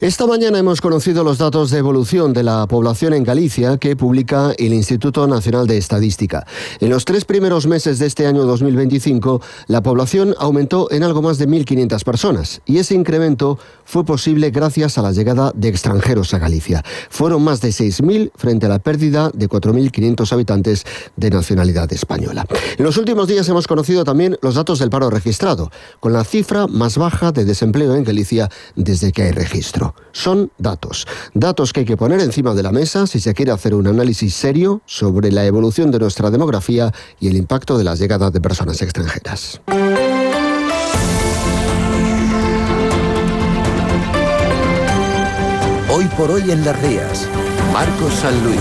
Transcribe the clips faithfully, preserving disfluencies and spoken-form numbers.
Esta mañana hemos conocido los datos de evolución de la población en Galicia que publica el Instituto Nacional de Estadística. En los tres primeros meses de este año dos mil veinticinco, la población aumentó en algo más de mil quinientas personas y ese incremento fue posible gracias a la llegada de extranjeros a Galicia. Fueron más de seis mil frente a la pérdida de cuatro mil quinientos habitantes de nacionalidad española. En los últimos días hemos conocido también los datos del paro registrado, con la cifra más baja de desempleo en Galicia desde que hay registro. Son datos, datos que hay que poner encima de la mesa si se quiere hacer un análisis serio sobre la evolución de nuestra demografía y el impacto de la llegada de personas extranjeras. Hoy por hoy en Las Rías, Marcos San Luis.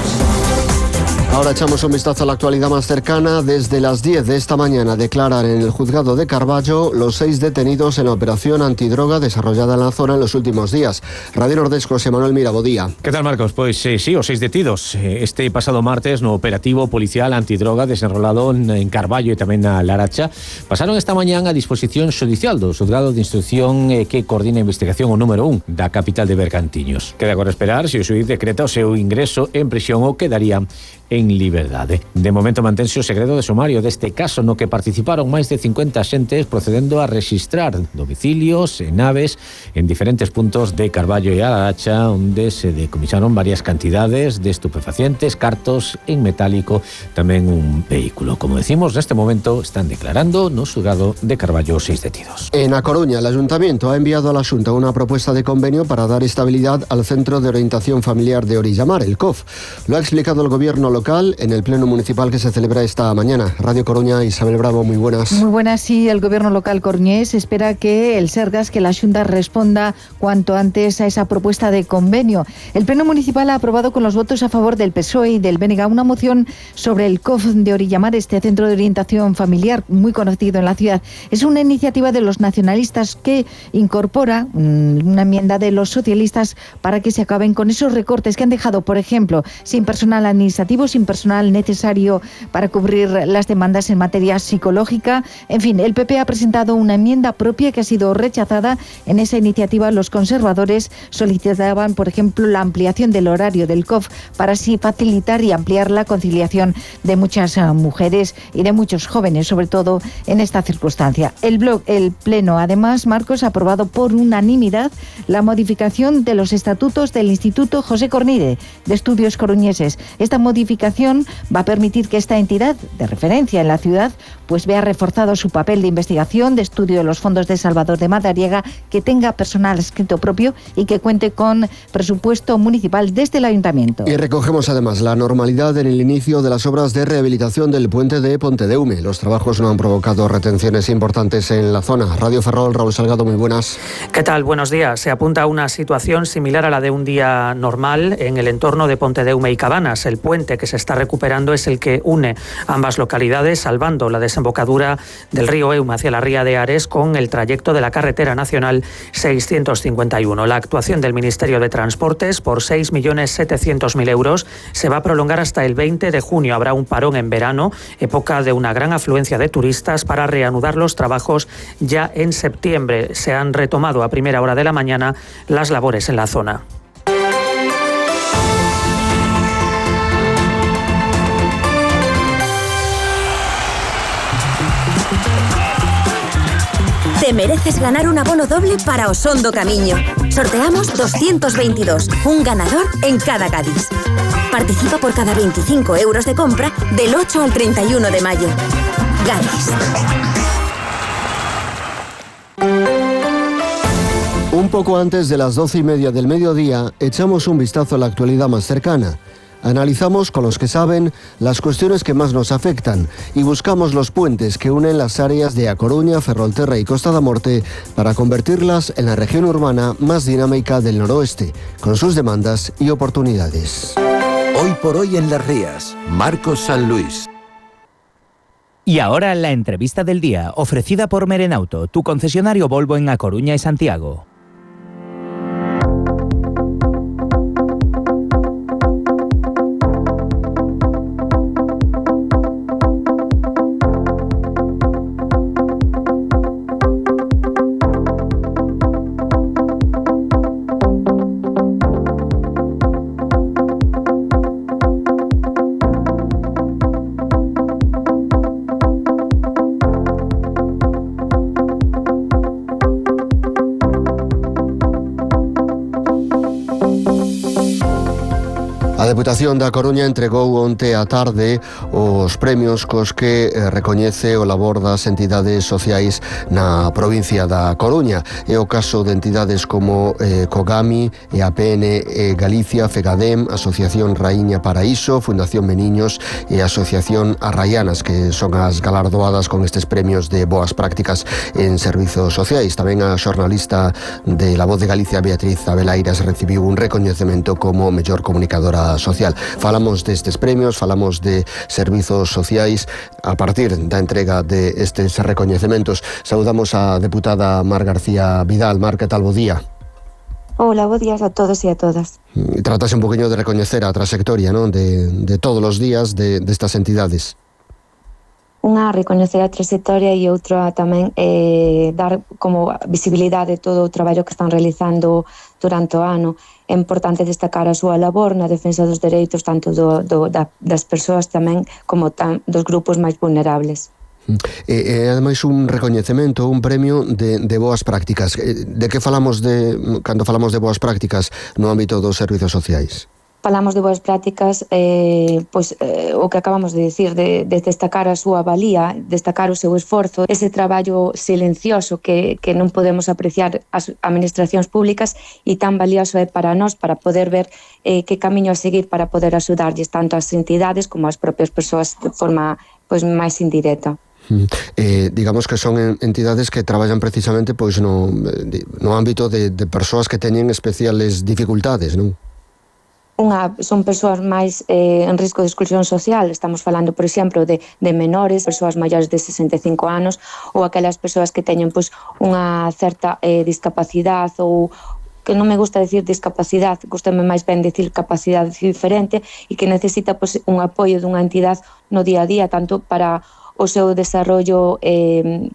Ahora echamos un vistazo a la actualidad más cercana. Desde las diez de esta mañana declaran en el juzgado de Carballo los seis detenidos en la operación antidroga desarrollada en la zona en los últimos días. Radio Nordesco, José Manuel Mirabodía. ¿Qué tal, Marcos? Pues eh, sí, os seis detidos. Este pasado martes no operativo policial antidroga desenrolado en Carballo e tamén na Laracha pasaron esta mañana a disposición xudicial do xuzgado de instrucción eh, que coordina a investigación o número un da capital de Bergantiños. Queda agora esperar se o xuíz decreta o seu ingreso en prisión ou quedaría en liberdade. De momento mantense o segredo de sumario deste caso no que participaron máis de cincuenta xentes procedendo a registrar domicilios e naves en diferentes puntos de Carballo e a Laracha, onde se decomisaron varias cantidades de estupefacientes, cartos en metálico, tamén un vehículo. Como decimos, neste momento están declarando no xulgado de Carballo seis detidos. En A Coruña, el Ayuntamiento ha enviado a la Xunta una propuesta de convenio para dar estabilidad al Centro de Orientación Familiar de Orillamar, el C O F. Lo ha explicado el Gobierno local en el Pleno Municipal que se celebra esta mañana. Radio Coruña, Isabel Bravo, muy buenas. Muy buenas, sí, el Gobierno local coruñés espera que el Sergas, que la Xunta responda cuanto antes a esa propuesta de convenio. El Pleno Municipal ha aprobado con los votos a favor del P S O E y del B N G una moción sobre el C O F de Orillamar, este centro de orientación familiar muy conocido en la ciudad. Es una iniciativa de los nacionalistas que incorpora una enmienda de los socialistas para que se acaben con esos recortes que han dejado, por ejemplo, sin personal administrativo, sin personal necesario para cubrir las demandas en materia psicológica. En fin, el P P ha presentado una enmienda propia que ha sido rechazada. En esa iniciativa los conservadores solicitaban, por ejemplo, la ampliación del horario del C O F para así facilitar y ampliar la conciliación de muchas uh, mujeres y de muchos jóvenes, sobre todo en esta circunstancia. El, blog, el Pleno, además, Marcos, ha aprobado por unanimidad la modificación de los estatutos del Instituto José Cornide de Estudios Coruñeses. Esta modificación va a permitir que esta entidad de referencia en la ciudad pues vea reforzado su papel de investigación, de estudio de los fondos de Salvador de Madariaga, que tenga personal adscrito propio y que cuente con presupuesto municipal desde el Ayuntamiento. Y recogemos además la normalidad en el inicio de las obras de rehabilitación del puente de Pontedeume. Los trabajos no han provocado retenciones importantes en la zona. Radio Ferrol, Raúl Salgado, muy buenas. ¿Qué tal? Buenos días. Se apunta a una situación similar a la de un día normal en el entorno de Pontedeume y Cabanas. El puente que se está recuperando es el que une ambas localidades, salvando la desembocadura del río Eume hacia la ría de Ares con el trayecto de la carretera nacional seiscientos cincuenta y uno. La actuación del Ministerio de Transportes por seis millones setecientos mil euros se va a prolongar hasta el veinte de junio. Habrá un parón en verano, época de una gran afluencia de turistas, para reanudar los trabajos ya en septiembre. Se han retomado a primera hora de la mañana las labores en la zona. Te mereces ganar un abono doble para Osondo Camiño. Sorteamos doscientos veintidós, un ganador en cada Cádiz. Participa por cada veinticinco euros de compra del ocho al treinta y uno de mayo. Cádiz. Un poco antes de las doce y media del mediodía, echamos un vistazo a la actualidad más cercana. Analizamos con los que saben las cuestiones que más nos afectan y buscamos los puentes que unen las áreas de A Coruña, Ferrolterra y Costa da Morte para convertirlas en la región urbana más dinámica del noroeste, con sus demandas y oportunidades. Hoy por hoy en Las Rías, Marcos San Luis. Y ahora la entrevista del día, ofrecida por Merenauto, tu concesionario Volvo en A Coruña y Santiago. Deputación da Coruña entregou onte á tarde os premios cos que eh, recoñece o labor das entidades sociais na provincia da Coruña. É o caso de entidades como eh, Cogami, E A P N eh, Galicia, FEGADEM, Asociación Raíña Paraíso, Fundación Meniños e Asociación Arraianas, que son as galardoadas con estes premios de boas prácticas en servizos sociais. Tamén a xornalista de La Voz de Galicia, Beatriz Abelairas, recibiu un recoñecemento como mellor comunicadora social. Falamos destes premios, falamos de servizos sociais a partir da entrega de estes recoñecementos. Saudamos a deputada Mar García Vidal. Mar, que tal? Bo día. Hola, bo días a todos e a todas. Tratase un poquinho de recoñecer a trayectoria, non? De, de todos os días de, de estas entidades. Unha, recoñecer a trayectoria e outra tamén eh, dar como visibilidade de todo o traballo que están realizando durante o ano. É importante destacar a súa labor na defensa dos dereitos tanto do, do, da, das persoas tamén como tam, dos grupos máis vulnerables. E, e ademais un recoñecemento, un premio de, de boas prácticas. De que falamos de cando falamos de boas prácticas no ámbito dos servizos sociais? Falamos de boas prácticas, eh, pois, eh, o que acabamos de dicir, de, de destacar a súa valía, destacar o seu esforzo, ese traballo silencioso que, que non podemos apreciar as administracións públicas e tan valioso é para nós, para poder ver eh, que camiño a seguir para poder axudarlles tanto as entidades como as propias persoas de forma pois, máis indirecta. Eh, digamos que son entidades que traballan precisamente pois no, no ámbito de, de persoas que teñen especiales dificultades, non? Unha, son persoas máis eh, en risco de exclusión social. Estamos falando, por exemplo, de, de menores, persoas maiores de sesenta e cinco anos ou aquelas persoas que teñen pois, unha certa eh, discapacidade ou que non me gusta decir discapacidade, gustame máis ben decir capacidade diferente e que necesita pois, un apoio dunha entidade no día a día, tanto para o seu desarrollo eh,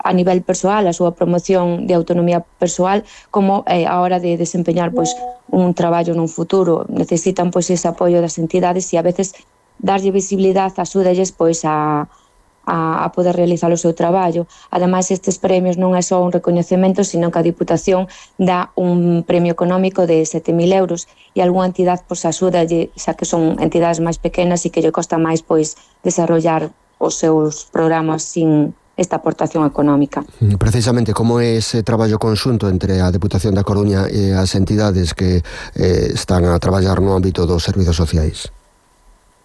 a nivel persoal, a súa promoción de autonomía persoal, como eh, a hora de desempeñar pois, un traballo nun futuro. Necesitan pois, ese apoio das entidades e a veces darlle visibilidade, axúdalles pois, a, a, a poder realizar o seu traballo. Ademais, estes premios non é só un recoñecemento, sino que a Diputación dá un premio económico de sete mil euros e algunha entidade pois, axúdalle, xa que son entidades máis pequenas e que lle costa máis pois, desarrollar os seus programas sin esta aportación económica. Precisamente, como é ese traballo conxunto entre a Deputación da Coruña e as entidades que eh, están a traballar no ámbito dos servizos sociais?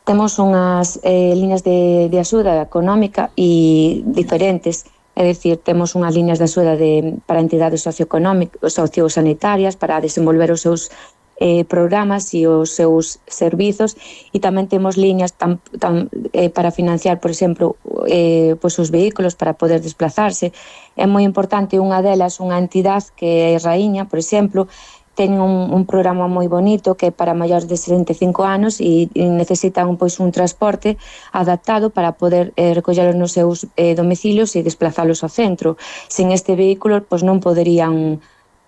Temos unhas eh, líneas de, de axuda económica e diferentes, é dicir, temos unhas líneas de axuda de, para entidades socioeconómicas, sociosanitarias, para desenvolver os seus Eh, programas e os seus servizos e tamén temos líneas tam, tam, eh, para financiar, por exemplo, eh, pois os vehículos para poder desplazarse. É moi importante unha delas, unha entidade que é Raíña, por exemplo, ten un, un programa moi bonito que é para maiores de sesenta e cinco anos e, e necesitan pois, un transporte adaptado para poder eh, recollelos nos seus eh, domicilios e desplazalos ao centro. Sin este vehículo pois, non poderían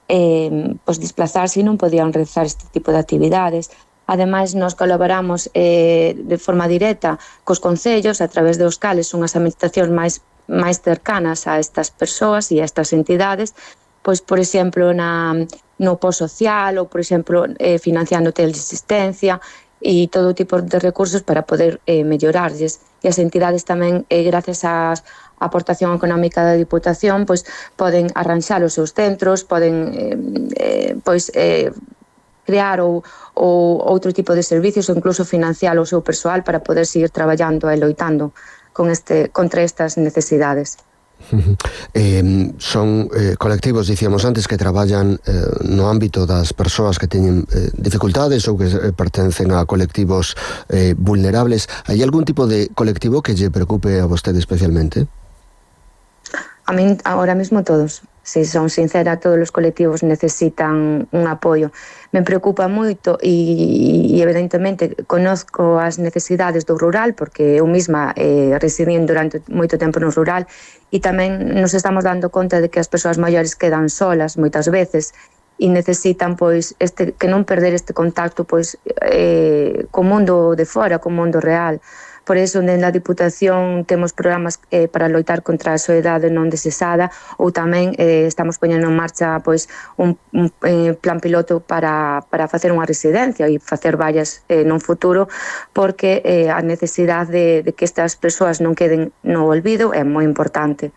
Eh, pois desplazarse e non podían realizar este tipo de actividades. Ademais, nos colaboramos eh, de forma directa cos concellos a través dos cales son as administracións máis, máis cercanas a estas persoas e a estas entidades, pois, por exemplo, na, no post-social ou, por exemplo, eh, financiando teleasistencia e todo tipo de recursos para poder eh, mellorarlles. E as entidades tamén, eh, gracias ás a aportación económica da Diputación, pois poden arranxar os seus centros, poden eh, eh, pois eh, crear ou, ou outro tipo de servicios ou incluso financiar o seu persoal para poder seguir traballando e loitando con este, contra estas necesidades. Eh, son eh, colectivos, dicíamos antes, que traballan eh, no ámbito das persoas que teñen eh, dificultades ou que eh, pertencen a colectivos eh, vulnerables. Hai algún tipo de colectivo que lle preocupe a vostede especialmente? A min, agora mesmo todos. Se son sincera, todos os colectivos necesitan un apoio. Me preocupa moito e, e evidentemente, conozco as necesidades do rural, porque eu mesma eh, residí durante moito tempo no rural e tamén nos estamos dando conta de que as persoas maiores quedan solas moitas veces e necesitan pois este que non perder este contacto pois eh, co mundo de fora, co mundo real. Por iso, dende a Diputación temos programas eh, para loitar contra a soidade non desexada, ou tamén eh, estamos poñendo en marcha pois, un, un eh, plan piloto para, para facer unha residencia e facer varias eh, nun futuro, porque eh, a necesidade de, de que estas persoas non queden no olvido é moi importante.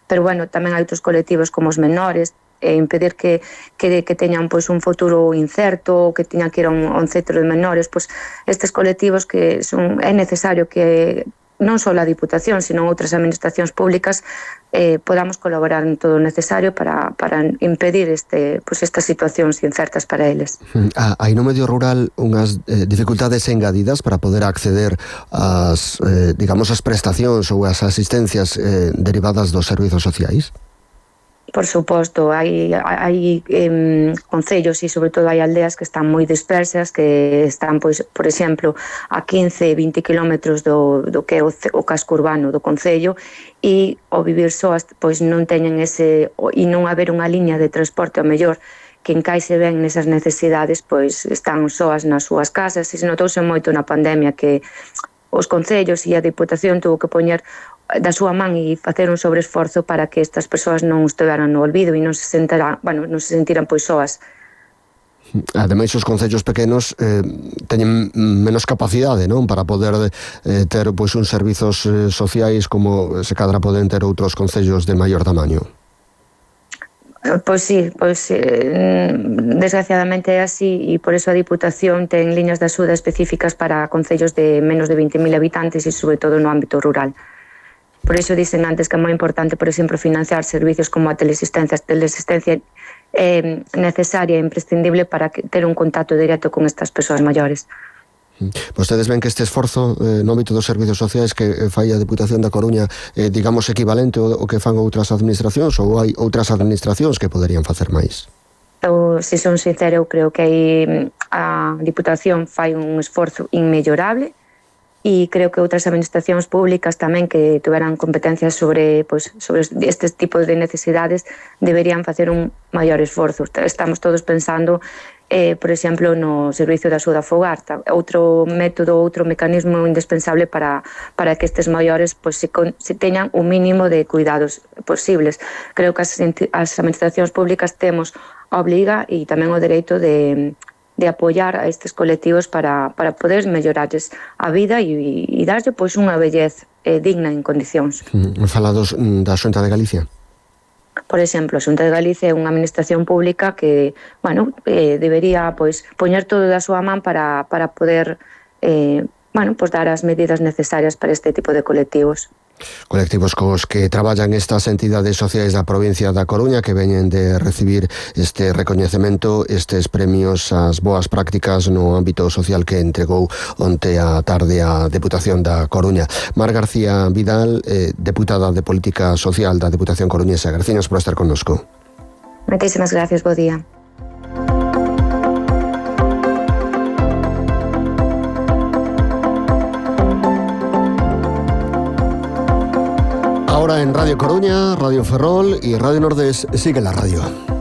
Pero, bueno, tamén hai outros colectivos como os menores, e impedir que, que, que teñan pois, un futuro incerto, que teñan que ir a un, a un centro de menores, pois, estes colectivos que son, é necesario que non só a Diputación, sino outras administracións públicas eh, podamos colaborar en todo o necesario para, para impedir este, pois, estas situacións incertas para eles. Hai no medio rural unhas eh, dificultades engadidas para poder acceder ás, eh, digamos, as prestacións ou as asistencias eh, derivadas dos servizos sociais? Por suposto, hai, hai eh, concellos e sobre todo hai aldeas que están moi dispersas, que están, pois, por exemplo, a quince, vinte kilómetros do, do que é o, o casco urbano do concello, e ao vivir soas, pois non teñen ese, e non haber unha liña de transporte ao mellor que encaixe ben nesas necesidades, pois están soas nas súas casas, e se notouse moito na pandemia que os concellos e a Diputación tuvo que poñer da súa man e facer un sobreesforzo para que estas persoas non estiveran no olvido e non se sentiran, bueno, non se sentiran pois soas. Ademais, os concellos pequenos eh, teñen menos capacidade, non, para poder eh, ter pois uns servizos eh, sociais como se cadra poden ter outros concellos de maior tamaño. Pois sí, pois eh, desgraciadamente é así, e por eso a Diputación ten liñas de axuda específicas para concellos de menos de vinte mil habitantes e sobre todo no ámbito rural. Por iso dicen antes que é moi importante, por exemplo, financiar servicios como a teleasistencia, a teleasistencia eh, necesaria e imprescindible para que, ter un contacto directo con estas persoas maiores. Vostedes ven que este esforzo eh, no ámbito dos servizos sociais que eh, fai a Diputación da Coruña, eh, digamos, equivalente ao, ao que fan outras administracións, ou hai outras administracións que poderían facer máis? Eu, se son sincera, eu creo que aí a Diputación fai un esforzo inmellorable, e creo que outras administracións públicas tamén que tuveran competencias sobre, pois, sobre estes tipos de necesidades deberían facer un maior esforzo. Estamos todos pensando, eh, por exemplo, no servicio de axuda fogar, outro método, outro mecanismo indispensable para, para que estes maiores pois, se, con, se teñan un mínimo de cuidados posibles. Creo que as, as administracións públicas temos a obriga e tamén o dereito de de apoiar a estes colectivos para, para poder mellorarles a vida e, e darlle pois unha vellez eh, digna en condicións. Mm, falados da Xunta de Galicia? Por exemplo, a Xunta de Galicia é unha administración pública que, bueno, eh, debería pois poñer todo da súa man para, para poder eh, bueno, pois dar as medidas necesarias para este tipo de colectivos. Colectivos cos que traballan estas entidades sociais da provincia da Coruña que veñen de recibir este recoñecemento, estes premios ás boas prácticas no ámbito social que entregou onte a tarde a Deputación da Coruña. Mar García Vidal, eh, deputada de Política Social da Deputación Coruñesa. Gracias por estar connosco. Moitísimas gracias, bo día. Ahora en Radio Coruña, Radio Ferrol y Radio Nordés sigue la radio.